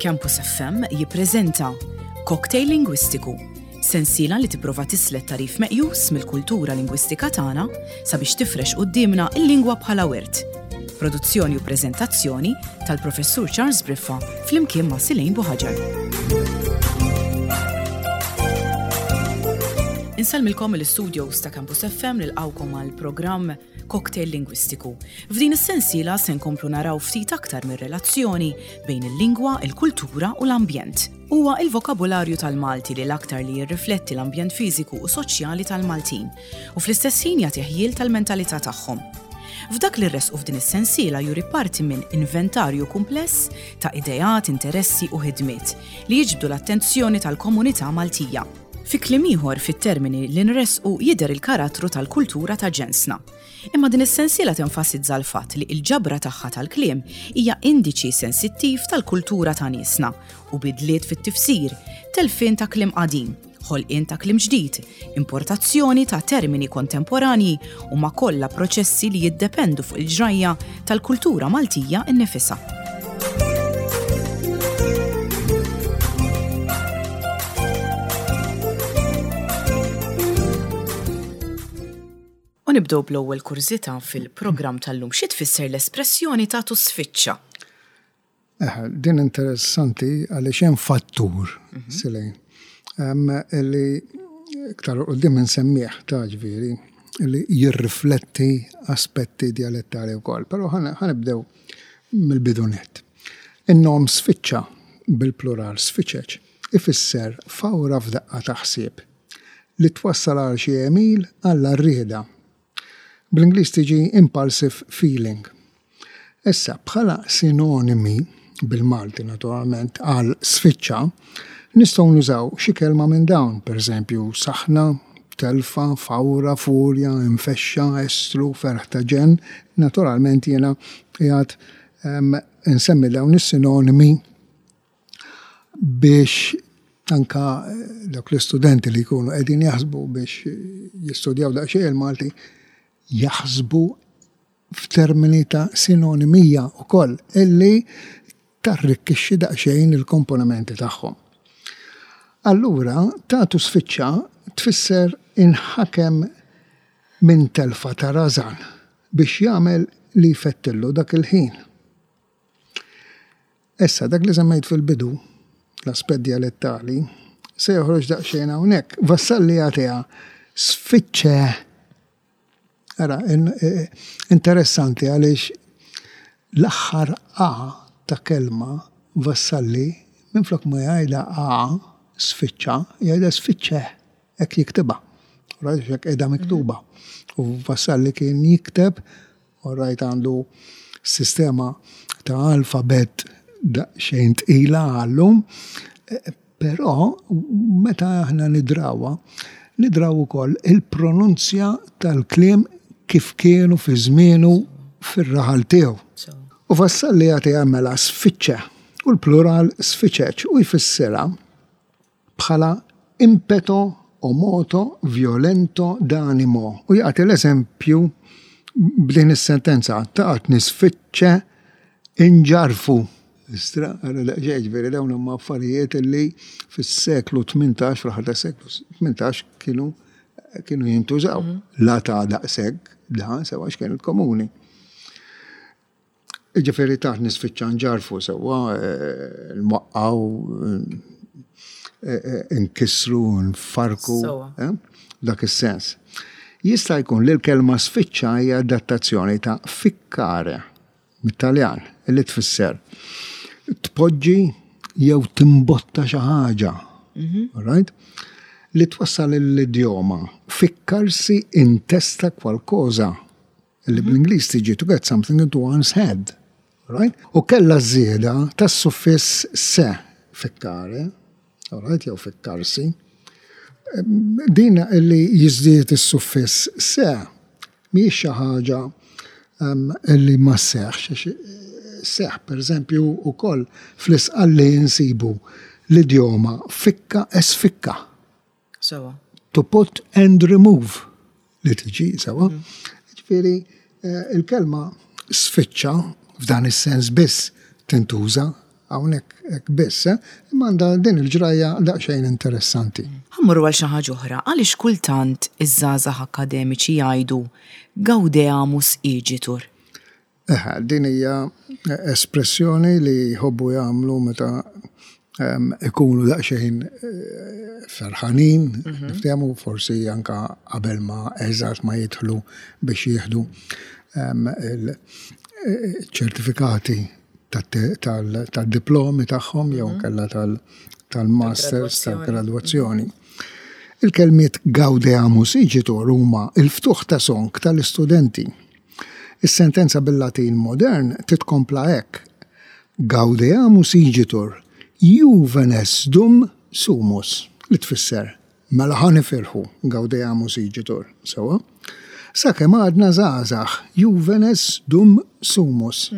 Campus FM jippreżenta Cocktail Lingwistiku, sensiela li tipprova tislet tagħrif meqjus mill-kultura lingwistika tagħna sabiex tifrex quddiemna l-lingwa bħala wirt. Produzzjoni u preżentazzjoni tal-Professur Charles Briffa flimkien ma' Silejn Buħaġar. Insellmilkom mill-istudios ta' Campus FM nilqgħukom għal programm Cocktail Lingwistiku. F'din is-sensiela se nkomplu naraw ftit aktar mir-relazzjoni bejn il-lingwa, il-kultura u l-ambjent. Huwa il-vokabularju tal-Malti li l-aktar li jirrifletti l-ambjent fiżiku u soċjali tal-Maltin u fl-istess ħin jagħti ħjiel tal-mentalità tagħhom. F'dak li ressqu f'din is-sensiela juri parti minn inventarju kumpless ta' ideat, interessi u ħidmiet li jiġbdu l-attenzjoni tal-komunità Maltija. Fi kliem ieħor, fit-termini li nressqu jidher il-karattru tal-kultura ta' ġensna. Imma din is-sensiela tenfasizza l-fatt li l-ġabra tagħha tal-kliem hija indiċi sensittiv tal-kultura ta' niesna u bidliet fit-tifsir, telfien ta' kliem qadim, ħolqien ta' kliem ġdid, importazzjoni ta' termini kontemporanji huma kollha proċessi li jiddependu fuq il-ġrajja tal-kultura Maltija nnifisha. U nibdew bl-ewwel kurżità fil-programm tal-lum. Xi tfisser l-espressjoni tagħtu sfiċċa? Eh, din interessanti għaliex hemm fattur, mhm. Silejn, li iktar qudiem insemmih ta' ġifieri li jirrifletti aspetti dialettali wkoll, però ħanibdew mill-bidu nett. In-nom sfiċċa bil-plural sfiċeċ ifisser fawra f'daqqa ta' ħsieb li twassal għal xi għemil għall-għarrieda. Bl-Ingliż tiġi impulsive feeling. Issa, bħala sinonimi, bil-Malti naturalment, għal sfiċċa, nistgħu nużaw xi kelma minn dawn, pereżempju, saħna, telfa, fawra, furja, infexxa, estru, ferħ ta' ġenn. Naturalment jiena qiegħed insemmi dawn is-sinonimi biex anka dawk l-istudenti li jkunu qegħdin jaħsbu biex jistudjaw daqsxejn il-Malti jaħsbu f'termini ta' sinonimija wkoll illi tarrikkixxi daqsxejn il-komponimenti tagħhom. Allura, tagħtu sfiċċa tfisser inħakem minn telfa ta' rażan biex jagħmel li jfettillu dak il-ħin. Issa, dak li semmejt fil-bidu, l-aspett djalettali, se joħroġ daqsxejn hawnhekk. Vassalli jagħtiha sfiċċe. Ara, interessanti għaliex l-aħħar A ta' kelma Vassalli minflok ma jgħidha A sfiċċa, jgħidha sfiċċe, hekk jiktibha. Right, hekk qiegħda miktuba. U Vassalli kien jikteb All right għandu sistema ta' alfabett daqsxejn tqila għallum, però meta aħna nidrawha, nidraw ukoll il-pronunzja tal-kliem kif kienu fi żmienu fir-raħal tiegħu. U Vassalli jagħtiha mela sfiċċe u l-plural sfiċeċ u jfissirha bħala impeto o moto violento d'animo u jagħti l-eżempju b'din is-sentenza, taqgħod nisfiċċe inġarrfu. Istra, ġifieri dawn huma affarijiet li fis-seklu 18, fl-aħħar tas-seklu 18 kienu kienu jintużaw. Mhm. La ta' daqshekk dan sewa x'kienet komuni. Jiġifieri taħt nispiċċa nġarrfu sewwa, nwaqqgħu, nkissru, nfarrku, f'dak is-sens. Jista' jkun li l-kelma sfiċċa hija adattazzjoni ta' ficcare, mit-Taljan, li tfisser tpoġġi jew timbotta xi ħaġa. All right? Li twassal l-idjoma ficcarsi in testa qualcosa. Li bl-Ingliż tiġi to get something into one's head. Right? U kellha żieda tas-suffiss se, ficcare, right, jew ficcarsi. Din li jiżdied is-suffiss se mhijiex xi ħaġa li ma sseħħx, seħħ pereżempju wkoll fl-Isqalli nsibu l-idjoma ficca e sficca. Sewa. To put and remove li tiġi sewa. Mm. Ġifieri eh, il-kelma sfiċċa f'dan is-sens biss tintuża. hawnhekk hekk biss, eh, imma għandha din il-ġrajja daqsxejn interessanti. Ħa mmorru għal xi ħaġa oħra, għaliex kultant iż-żgħażagħ akkademiċi jgħidu gaudeamus igitur? Eħe, din hija espressjoni li jħobbu jagħmlu meta ikunu daqsxejn ferħanin, niftehmu forsi anka qabel ma eżatt ma jidħlu biex jieħdu il-ċertifikati tad-diplomi tagħhom jew inkella tal-masters tal-gradwazzjoni. Il-kelmiet gaudeamus igitur huma l-ftuħ ta' song tal-istudenti. Is-sentenza bil-Latin modern titkompla hekk, Gaudeamus igitur, juvenes dum sumus, li tfisser, mela ħa nifirħu, gaudeamus igitur, sewwa? Sakemm għadna żgħażagħ, juvenes dum sumus,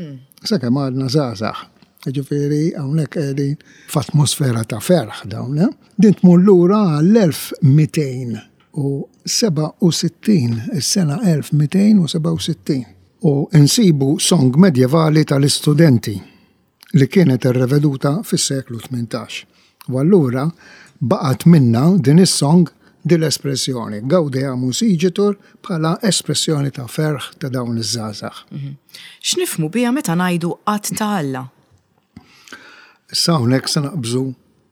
sakemm għadna żgħażagħ. Jiġifieri hawnhekk qegħdin f'atmosfera ta' ferħ dawn, eh? Din tmur lura għall-1200 u 67, is-sena 1267, u nsibu song medjevali tal-istudenti li kienet irreveduta fis-seklu 18. U allura baqgħet minnha din is-song din l-espressjoni, Gaudeamus igitur bħala espressjoni ta' ferħ ta' dawn iż-żgħażagħ. X'nifhmu biha meta ngħidu att ta' Alla? Issa hawnhekk se naqbżu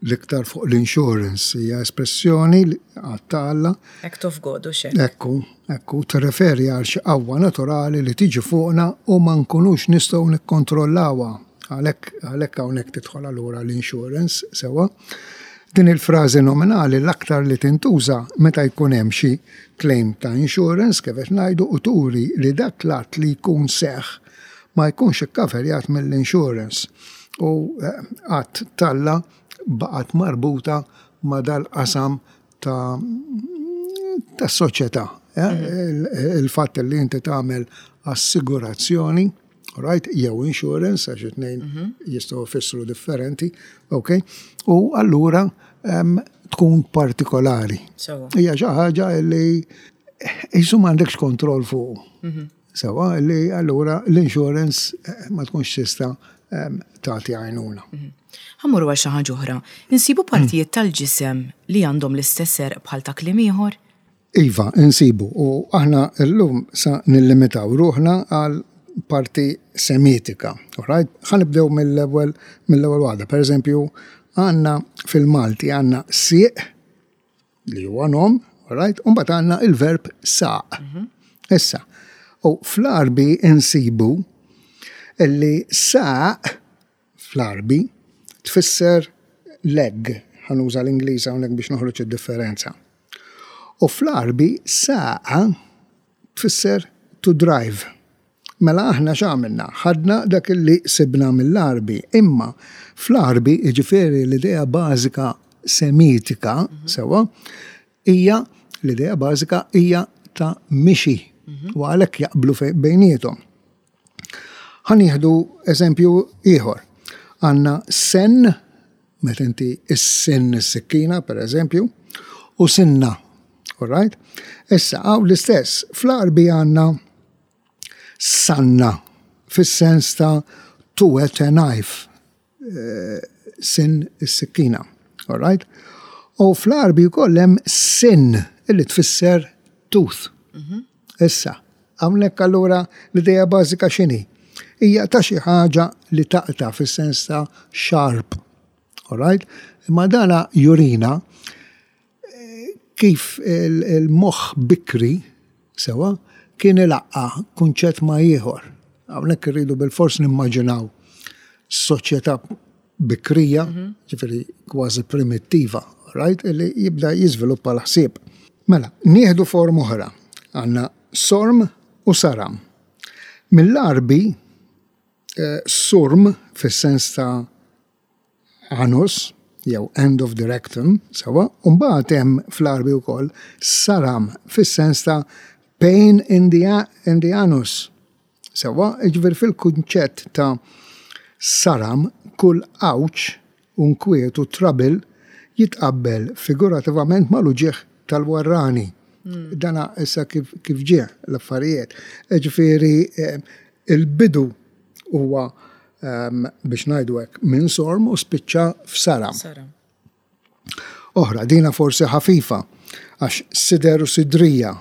l-iktar fuq l-insurance, hija espressjoni għad ta' Alla. Act of God, hux hekk? Ekku, ekku, tirreferi għal xi qawwa naturali li tiġi fuqna u ma nkunux nistgħu nikkontrollawha. Għalhekk, għalhekk hawnhekk tidħol allura l-insurance, sewwa. Din il-frażi nominali l-aktar li tintuża meta jkun hemm xi claim ta' insurance, kif qed ngħidu, u turi li dak l-att li jkun seħħ ma jkunx ikkaverjat mill-insurance u att t'Alla baqgħet marbuta ma' dal-qasam ta' tas-soċjetà. Il-fatt li inti tagħmel assigurazzjoni, right, jew insurance, għax it-tnejn jistgħu jfissru differenti, ok, u allura tkun partikolari. Hija xi ħaġa li qisu m'għandekx kontroll fuqu. Sewwa, li allura l-insurance ma tkunx tista' tagħti għajnuna. Ħa mmorru għal xi ħaġa oħra. Insibu partijiet tal-ġisem li għandhom l-istess għerq bħal ta' kliem ieħor? Iva, insibu. U aħna llum sa nillimitaw ruħna għal parti semitika. Alright? Ħa nibdew mill-ewwel mill-ewwel waħda. Pereżempju, għandna fil-Malti għandna sieq li huwa nom, right? U mbagħad għandna il-verb saq. Issa, u fl-Għarbi insibu li saq fl-Għarbi tfisser leg, ħa nuża l-Ingliż hawnhekk biex noħroġ id-differenza. U fl-Għarbi saqa tfisser to drive. Mela aħna x'għamilna? Ħadna dak li sibna mill-Għarbi, imma fl-Għarbi, jiġifieri l-idea bażika Semitika, sewwa, hija l-idea bażika hija ta' mixi u għalhekk jaqblu bejniethom. Ħa nieħdu eżempju ieħor. Għandna sen, meta inti issinn is-sikkina, pereżempju, u sinna. All right? Issa, hawn l-istess, fl-Għarbi għandna sanna, fis-sens ta' to wet a knife, eh, sin is-sikkina. All right? U fl-Għarbi wkoll hemm sin illi tfisser tooth. Mhm. Issa, hawnhekk allura l-idea bażika x'inhi? Hija ta' xi ħaġa li taqta' fis-sens ta' sharp. All right? Imma dana jurina kif il-moħħ bikri sewwa kien ilaqqa' kunċett ma' ieħor. Hawnhekk irridu bilfors nimmaġinaw soċjetà bikrija, ġifieri kważi primittiva, right, li jibda jiżviluppa l-ħsieb. Mela, nieħdu forma oħra. Għandna sorm u saram. Mill-Għarbi, surm fis-sens ta' anus, jew end of the rectum, sewwa, u mbagħad hemm fl-Għarbi wkoll saram fis-sens ta' pain in the, in the anus. Sewwa, jiġifieri fil-kunċett ta' saram kull għawġ u nkwiet u trouble jitqabbel figurativament mal-uġigħ tal-warrani. Dana issa kif, kif ġie l-affarijiet. Jiġifieri il-bidu huwa. biex ngħidu hekk minn sorm u spiċċa f'saram. Oħra, dina forsi ħafifa, għax sider u sidrija,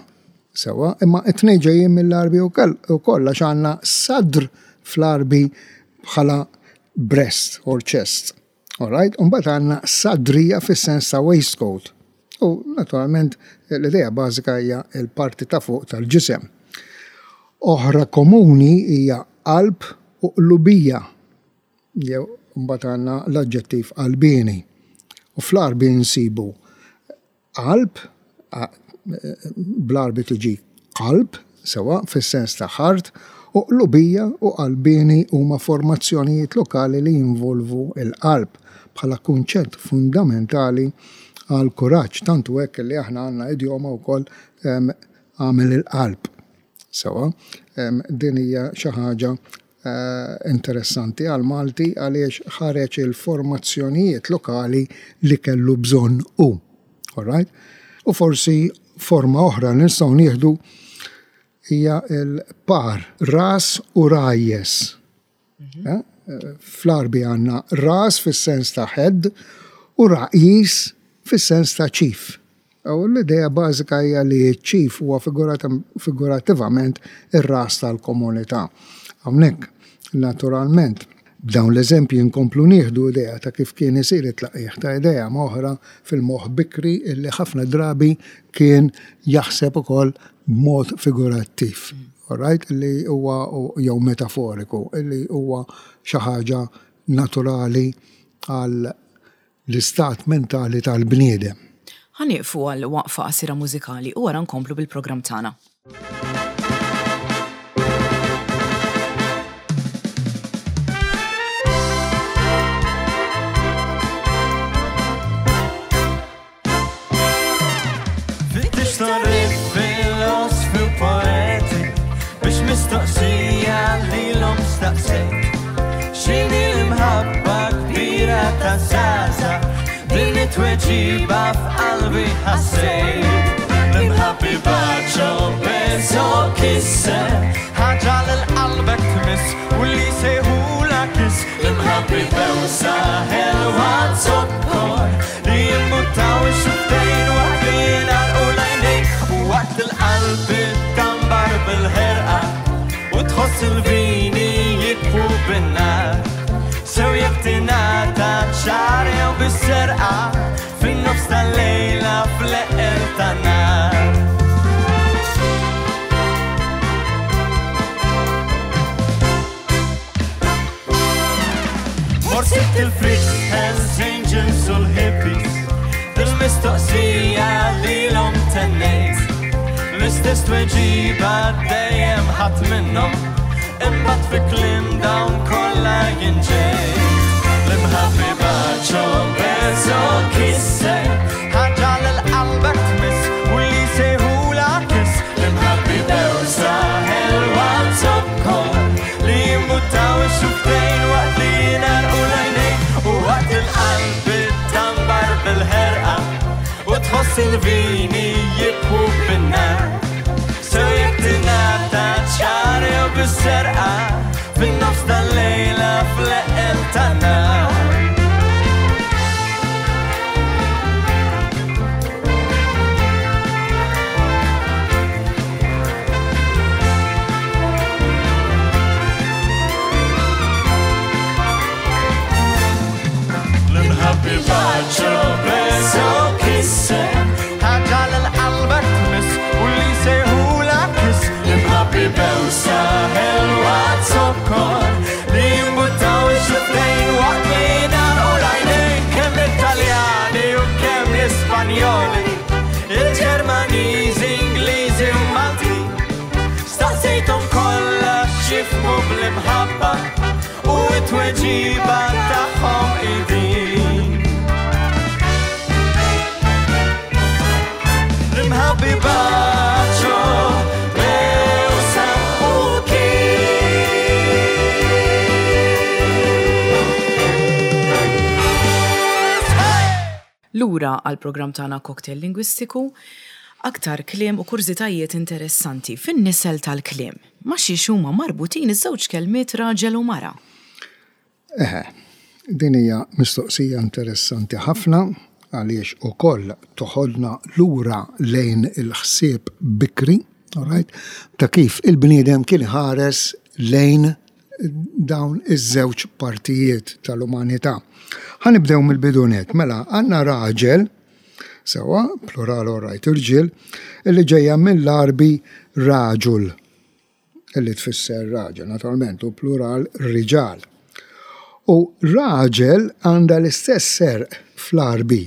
sewa, imma it-tnejn ġejjin mill-Għarbi wkoll għax għandna sadr fl-Għarbi bħala breast or chest. All right? U mbagħad għandna sadrija fis-sens ta' waistcoat. U naturalment l-idea bażika hija l-parti ta' fuq tal-ġisem. Oħra komuni hija qalb u qlubija. Jew mbagħad għandna l-aġġettiv qalbieni. U fl-Għarbi nsibu qalb, bl-Għarbi tiġi qalb, sewwa, fis-sens ta' heart, u qlubija u qalbieni huma formazzjonijiet lokali li jinvolvu l-qalb bħala kunċett fundamentali għall-kuraġġ, tant hu hekk li aħna għandna idjoma wkoll għamel il-qalb. Sewwa, din hija xi ħaġa interessanti għall-Malti għaliex ħareġ il-formazzjonijiet lokali li kellu bżonn hu. All right? U forsi forma oħra li nistgħu nieħdu hija l-par ras u rajjes. Mhm. Eh? Fl-Għarbi għandna ras fis-sens ta' head u raqis fis-sens ta' chief. U l-idea bażika hija li ċ-chief huwa figurattivament ir-ras tal-komunità. Hawnhekk, naturalment, b'dawn l-eżempji nkomplu nieħdu idea ta' kif kien isir it-tlaqqigħ ta' idea ma' oħra fil-moħħ bikri illi ħafna drabi kien jaħseb ukoll b'mod figurattiv, all right, illi huwa jew metaforiku, illi huwa xi ħaġa naturali għal l-istat mentali tal-bniedem. Ħa nieqfu għal waqfa qasira mużikali u wara nkomplu bil-programm tagħna. Tweġiba f'qalbi ħassejt L-imħabbi baċo beso kisse Ħaġa l-qalbek tmiss u li sejħula kiss L-imħabbi bewsa ħelwa zokkor Li jimbuttaw ix-xuftejn waqt li jingħalqu l-għajnejn U waqt il-qalb tambar bil-ħerqa U tħoss il-vini jikfu bin-nar Sew jekk tingħata ċar jew bis-serqa Fin-nofs tal-lejla fl-eqqel tan-nar Mort sibt il-freaks, Hells Angels u l-hippies Bil-mistoqsija lilhom tennejt L-istess tweġiba dejjem ħadd minnhom Imbagħad fi kliem dawn kollha jien ġejt L-imħabbi baċo beso kisse Ħaġa lil qalbek tmiss u li sejħula kiss L-imħabbi bewsa ħelwa zokkor Li jimbuttaw ix-xuftejn waqt li jingħalqu l-għajnejn U waqt il-qalb tambar bil-ħerqa U tħoss il-vini jibku bin-nar Sew jekk tingħata ċar jew bis-serqa Fin-nofs tal-lejla fl-eqqel tan-nar L-imħabbi baċo beso kisse Ħaġa l-qalbek tmiss u li sejħula kiss L-imħabbi bewsa ħelwa zokkor Li jimbuttaw ix-xuftejn waqt li jingħalqu l-għajnejn Kemm l-Italjani u kemm l-Ispanjoli Il-Ġermaniżi, Ingliżi u Malti Staqsejthom kollha x'jifhmu bl-imħabba U t-tweġiba tagħhom hi din. L-imħabbi baċo, bewsa u kiss. Hey! Lura għall-programm tagħna Cocktail Lingwistiku, aktar kliem u kurżitajiet interessanti fin-nisel tal-kliem. Ma' xiex huma marbutin iż-żewġ kelmiet raġel u mara? Eħe, din hija mistoqsija interessanti ħafna għaliex ukoll toħodna lura lejn il-ħsieb bikri, all right, ta' kif il-bniedem kien iħares lejn dawn iż-żewġ partijiet tal-umanità. Ħa nibdew mill-bidu nett, mela għandna raġel, sewwa, plural all right, irġiel, illi ġejja mill-Għarbi raġul. li tfisser raġel, naturalment, u plural riġal. U raġel għandha l-istess serq fl-Għarbi,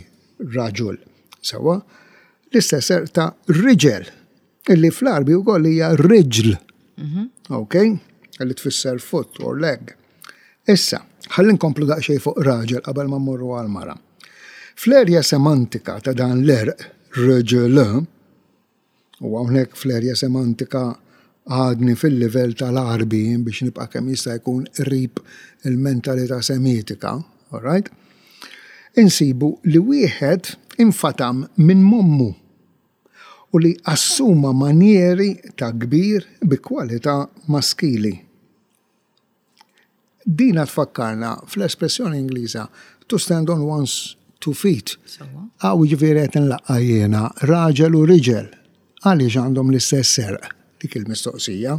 raġul, sewwa, l-istess serq ta' riġel, illi fl-Għarbi wkoll hija riġl. Mhm. Ok? Illi tfisser foot or leg. Issa, ħalli nkomplu daqsxejn fuq raġel qabel ma mmorru għal mara. Fl-erja semantika ta' dan l-erq, rġl, U hawnhekk fl-erja semantika għadni fil-livell tal-Għarbi biex nibqa' kemm jista' jkun qrib il-mentalità Semitika, all right? Insibu li wieħed infatam minn m'ommu u li assuma manjeri ta' kbir bi kwalità maskili. Dina tfakkarna fl-espressjoni Ingliża to stand on one's two feet. Hawn jiġifieri qed inlaqqa' jiena raġel u riġel. Għaliex għandhom l-istess serq? Dik il-mistoqsija.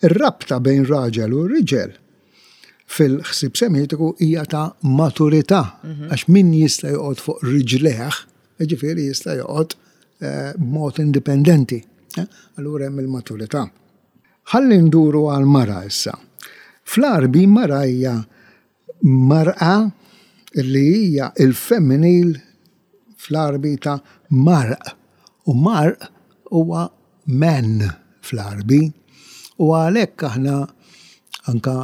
Ir-rabta bejn raġel u riġel fil-ħsieb semitiku hija ta' maturità, mhm. għax min jista' joqgħod fuq riġlejh, jiġifieri jista' joqgħod eh, b'mod indipendenti. Eh? Allura hemm il-maturità. Ħalli nduru għall-mara issa. Fl-Għarbi mara hija mar'a li hija l-femminil fl-Għarbi ta' marq u marq huwa man fl-Għarbi u għalhekk aħna anka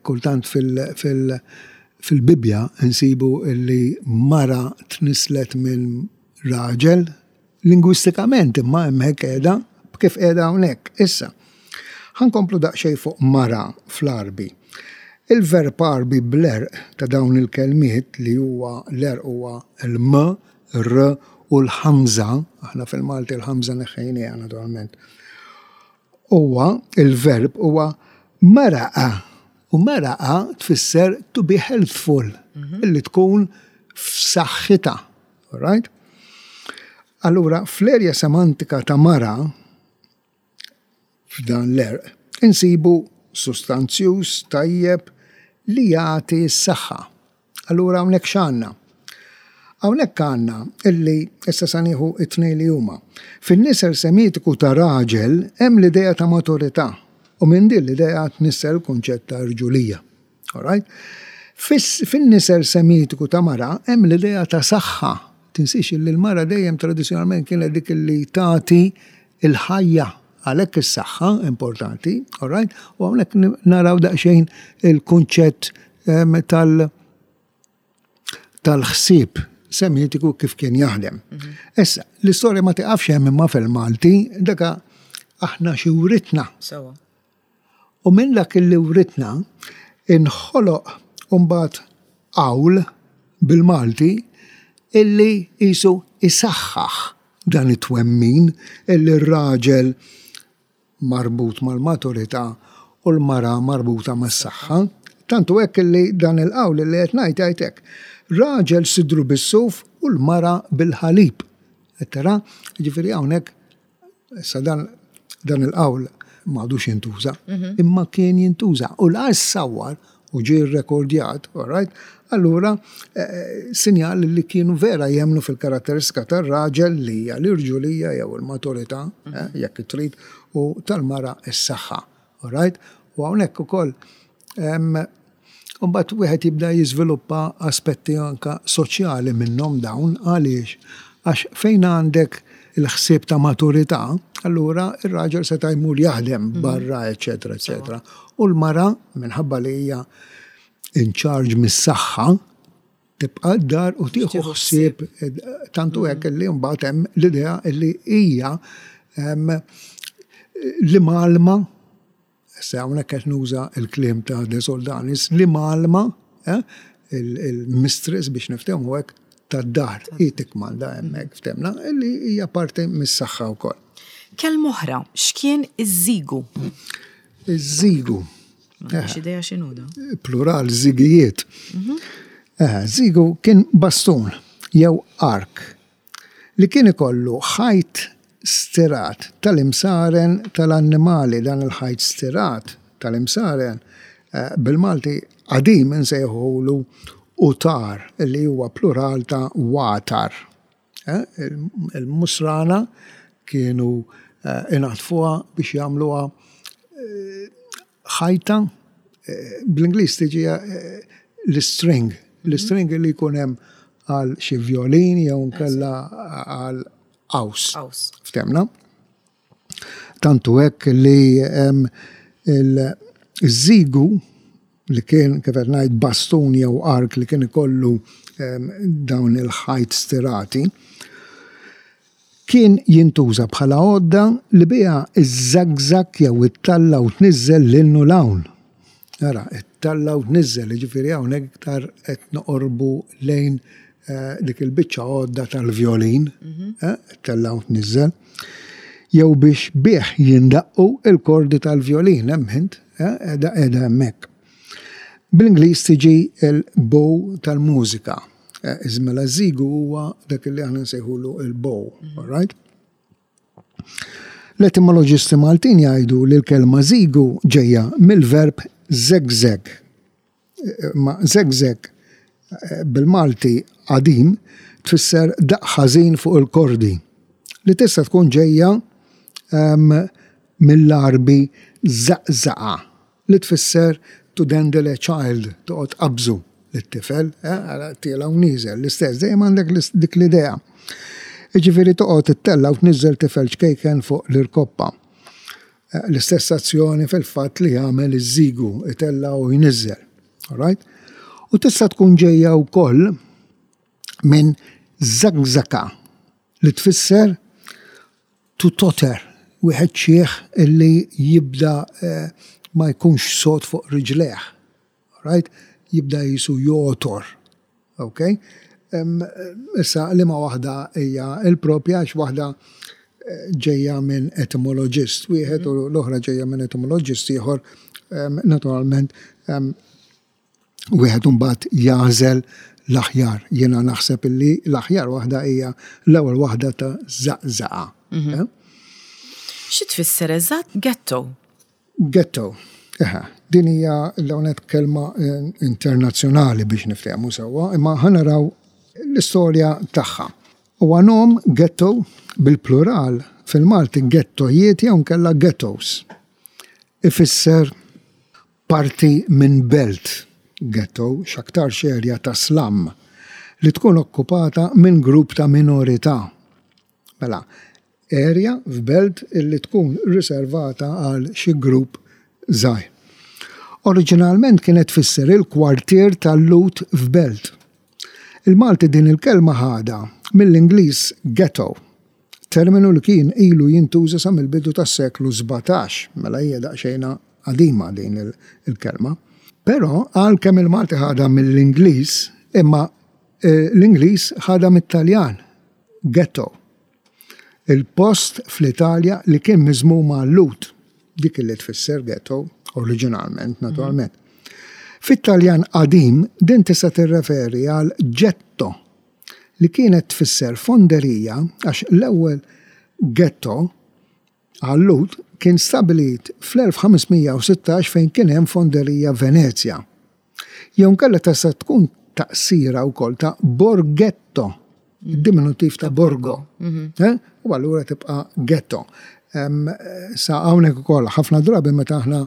kultant fil-Bibbja nsibu li mara tnisslet minn raġel Lingwistikament imma hemmhekk qiegħda kif qiegħda hawnhekk. Issa, ħa nkomplu daqsxejn fuq mara fl-Għarbi. Il-verb Għarbi bl-għerq ta' dawn il-kelmiet li huwa l-għerq huwa l-m, r u l-ħamża, aħna fil-Malti l-ħamża neħħejnieha naturalment, huwa il-verb huwa maraqa u maraqa tfisser to be healthful, illi tkun f'saħħitha. All right? Allura, fl-erja semantika ta' mara, f'dan l-erq, insibu sustanzjuż tajjeb li jagħti s-saħħa. Allura hawnhekk x'għandna? Hawnhekk għandna illi issa sa nieħu it-tnejn li huma. Fin-nisel semitiku ta' raġel hemm l-idea ta' maturità u minn din l-idea tnissel kunċett ta' rġulija. All right? Fin-nisel Semitiku ta' mara hemm l-idea ta' saħħa. Tinsiex li l-mara dejjem tradizzjonalment kienet dik li tagħti l-ħajja għalhekk is-saħħa importanti, all right? U hawnhekk naraw daqsxejn il-kunċett ehm, tal- tal-ħsieb semitiku kif kien jaħdem. Mhm. Issa, l-istorja ma tiqafx hemm imma fil-Malti, daka aħna xi writna. U minn dak li writna inħoloq imbagħad qawl bil-Malti illi qisu isaħħaħ dan it-twemmin illi r-raġel marbut mal-maturità u l-mara marbuta mas-saħħa. Tant hu hekk illi dan il-qawl illi qed ngħid jgħid hekk, Raġel sidru bis-suf u l-mara bil-ħalib. Qed tara? Jiġifieri hawnhekk Issa dan dan il-qawl m'għadux jintuża, mhm. imma kien jintuża u la ssawwar u ġie rrekordjat, all right? Allura eh, eh, sinjal li kienu vera jemnu fil-karatteristika tar-raġel li hija l-irġulija jew il-maturità, eh, mhm. jekk trid, u tal-mara s-saħħa. All right? U hawnhekk ukoll Imbagħad wieħed jibda jiżviluppa aspetti anke soċjali minnhom dawn għaliex? Għax fejn għandek il-ħsieb ta' maturità, allura r-raġel seta' jmur jaħdem mhm. barra, eċetera, eċetera. U l-mara, minħabba li hija in charge mis-saħħa, tibqa' d-dar u tieħu ħsieb tantu hekk li mbagħad hemm l-idea li hija li malma Issa hawnhekk qed nuża l-kliem ta' De Soldanis, li mgħallma eh, il-mistress biex niftehmu hekk tad-dar hi tikkmanda hemmhekk ftemna li hija parti mis-saħħa wkoll. Kelma oħra, x'kien iż-żigu? Iż-żigu. M'għandix idea x'inhu da. Plural żigijiet. Żigu kien bastun jew ark li kien ikollu ħajt stirat tal-imsaren tal-annimali. Dan il-ħajt stirat tal-imsaren bil-Malti qadim insejħulu utar li huwa plural ta' watar. Il-musrana kienu inaddfuha biex jagħmluha ħajta, bl-Ingliż tiġi l-istring, l-istring li jkun hemm għal xi vjolin jew nkella għal qaws. Ftemna? Tantu hekk li il-żigu li kien kif qed ngħid bastun jew ark li kien ikollu dawn il-ħajt stirati, kien jintuża bħala għodda li biha iżżagżag jew ittalla' u tniżżel 'l hinn u 'l hawn. Ara, ittalla' u tniżżel, jiġifieri hawnhekk iktar qed noqorbu lejn dik il-biċċa għodda tal-vjolin, ittella' u tniżżel, jew biex bih jindaqqu l-kordi tal-vjolin, hemm int, qiegħda qiegħda hemmhekk. Bl-Ingliż tiġi l-bow tal-mużika. Mela ż-żigu huwa dak li aħna nsejħulu l-bow, all right? L-etimoloġisti Maltin jgħidu li l-kelma żigu ġejja mill-verb żegżeg. Ma żegżeg bil-Malti qadim tfisser daqq ħażin fuq il-kordi, li tista' tkun ġejja mill-Għarbi żaqżaqa, li tfisser to dandle a child, toqgħod tqabbżu lit-tifel, tiela' u nieżel, l-istess, dejjem għandek dik l-idea. Jiġifieri toqgħod ittella' u tniżżel tifel ċkejken fuq l-irkoppa. L-istess azzjoni fil-fatt li jagħmel iż-żigu, itella' u jniżżel. All right? U tista' tkun ġejja wkoll minn żagżaka li tfisser to totter, wieħed xiħ illi jibda eh, ma jkunx sod fuq riġlejh. Right? Jibda jisu jotor. Ok? Issa liema waħda hija l-propja għax waħda eh, ġejja minn etimoloġist wieħed u l-oħra ġejja minn etimoloġist ieħor naturalment wieħed imbagħad jagħżel l-aħjar. Jiena naħseb illi l-aħjar waħda hija l-ewwel waħda ta' żaqżaqa. Mhm. Eh? Xi tfisser eżatt ghetto? Ghetto. Eħe, din hija l-ewwel kelma eh, internazzjonali biex niftehmu sewwa, imma ħa naraw l-istorja tagħha. Huwa nom ghetto bil-plural fil-Malti ghettojiet jew nkella ghettos. Ifisser parti minn belt, ghetto, x'aktarx erja ta' slum, li tkun okkupata minn grupp ta' minorità. Mela, area f'belt illi tkun riservata għal xi grupp żgħir. Oriġinalment kienet tfisser il-kwartier tal-Lhud f'belt. Il-Malti din il-kelma ħadha mill-Ingliż ghetto, terminu li kien ilu jintuża sa mill-bidu tas-seklu 17, mela hija daqsxejn qadima din il-kelma. Però għalkemm il-Malti ħadha mill-Ingliż, imma eh, l-Ingliż ħadha mit-Taljan, ghetto. Il-post fl-Italja li kien miżmum għal-Lhud, dik li tfisser ghetto, oriġinalment, naturalment. Fit-Taljan qadim din tista' tirreferi għal getto, li kienet tfisser fonderija għax l-ewwel ghetto għal-Lhud kien stabbilit fl-1516 fejn kien hemm fonderija Venezja. Jew inkella tista' tkun taqsira wkoll ta' borghetto, diminutiv ta' borgo. Mhm. Eh? U allura tibqa' ghetto. Sa hawnhekk ukoll ħafna drabi meta aħna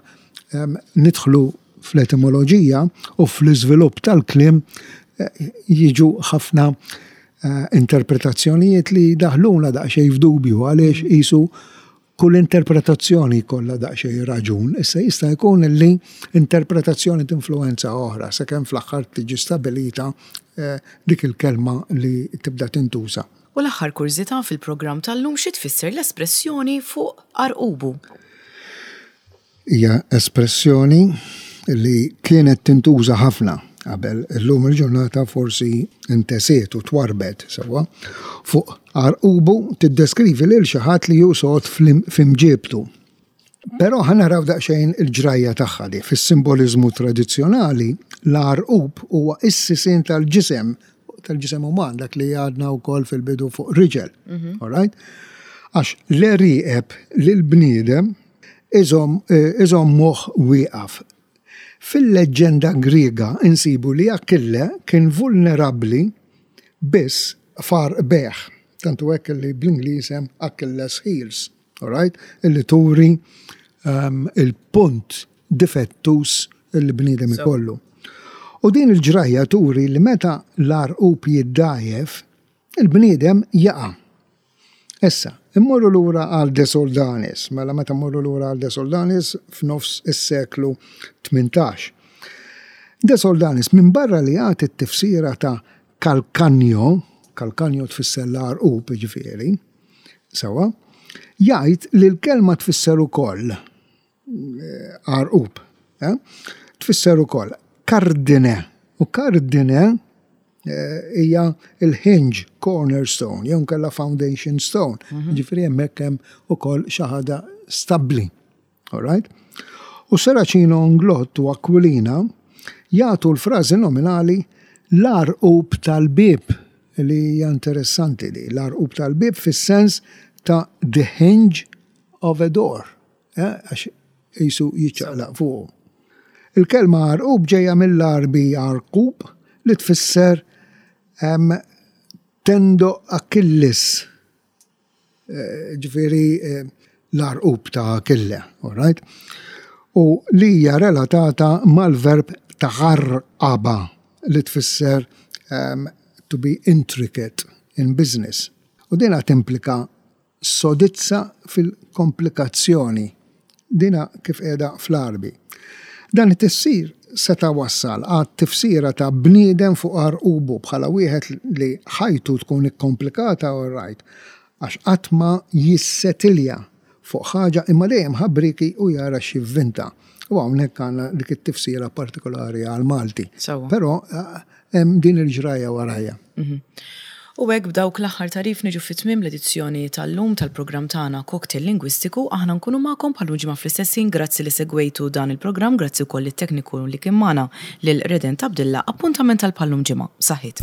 nidħlu fl-etimoloġija u fl-iżvilupp tal-kliem eh, jiġu ħafna eh, interpretazzjonijiet li daħluna daqsxejn f'dubju għaliex mhm. qisu Kull interpretazzjoni jkollha daqsxejn raġun, issa jista' jkun li interpretazzjoni tinfluwenza oħra sakemm fl-aħħar tiġi stabilita dik il-kelma li tibda tintuża. U l-aħħar kurżità fil-programm tal-lum xi tfisser l-espressjoni fuq għarqubu? Hija espressjoni li kienet tintuża ħafna qabel, illum il-ġurnata forsi intesiet u twarrbet sewwa. Fuq għarqubu tiddeskrivi lil xi ħadd li hu sod f'imġiebtu. Però ħa naraw daqsxejn il-ġrajja tagħha di. Fis-simboliżmu tradizzjonali, l-għarqub huwa s-sisien tal-ġisem, tal-ġisem uman, dak li għadna wkoll fil-bidu fuq riġel. Mhm. All right? Għax l-għerieqeb lill-bniedem iżommuh wieqaf. Fil-leġġenda Griega insibu li Akkille kien vulnerabbli biss f'għarqbejh, tant hu hekk li bl-Ingliż hemm Achilles heels. Alright? Illi turi um, il-punt difettus li bniedem ikollu. U din il-ġrajja turi li meta l-għarqub jiddajef, il-bniedem jaqa'. Issa, immorru lura għal De Soldanis, mela meta mmorru lura għal De Soldanis f'nofs is-seklu 18. De Soldanis minbarra li jagħti t-tifsira ta' calcagno, calcagno tfisser l-għarqub jiġifieri, Sewwa. Jgħid li l-kelma tfisser ukoll eh, għarqub. Eh? Tfisser ukoll kardine. U kardine eh, hija il-hinge cornerstone, jew kella foundation stone. Mhm. Ġifieri hemmhekk hemm ukoll xi ħaġa stabbli. All right? U Serracino Inglott u Aquilina jagħtu l-frażi nominali l-għarqub tal-bieb li hija interessanti di, l-għarqub tal-bieb fis-sens ta' the hinge of a door, eh, għax qisu jiċċaqlaq fuqu. Il-kelma għarqub ġejja mill-Għarbi għarqub li tfisser tendo Achilles ġifieri l-għarqub ta' Achille, all right? U li hija relatata mal-verb tagħarqaba li tfisser um, to be intricate in business. U dina timplika sodizza fil-komplikazzjoni. Dina kif qiegħda fl-Għarbi. Dan it-tifsir seta' wassal għat-tifsira ta' bniedem fuq għarqubu bħala wieħed li ħajtu tkun ikkomplikata all right għax qatt ma jissetilja fuq ħaġa imma dejjem ħabrieki u jara x'jivvinta. U hawnhekk għandna dik it-tifsira partikolari għall-Malti. Però hemm din il-ġrajja warajha. Mhm. U hekk b'dawk l-aħħar tagħrif niġu fi tmiem l-edizzjoni tal-lum tal-programm tagħna Cocktail Lingwistiku. Aħna nkunu magħkom bħal ġimgħa fl-istess ħin. Grazzi li segwejtu dan il-programm, grazzi wkoll lit-tekniku li kien magħna lil Redent Abdilla. Appuntament għal bħal-lum ġimgħa. Saħħiet.